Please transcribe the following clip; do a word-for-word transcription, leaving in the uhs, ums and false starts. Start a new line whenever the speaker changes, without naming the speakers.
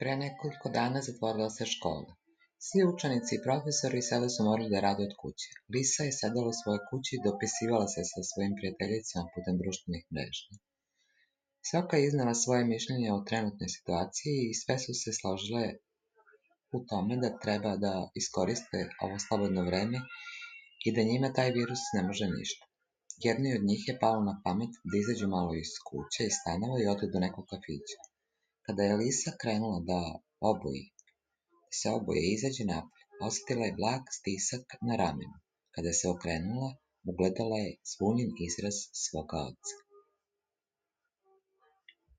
Pre nekoliko dana zatvorila se škola. Svi učenici i profesori sada su morali da rade od kuće. Lisa je sedela u svojoj kući i dopisivala se sa svojim prijateljicama putem društvenih mreža. Svaka je iznala svoje mišljenje o trenutnoj situaciji i sve su se složile u tome da treba da iskoriste ovo slobodno vreme i da njima taj virus ne može ništa. Jednoj od njih je palo na pamet da izađu malo iz kuće i stanova i odu do nekog kafića. Kada je Lisa krenula da oboji, da se oboje i izađe napolje, osetila je blag stisak na ramenu. Kada se okrenula, ugledala je zbunjen izraz svoga oca.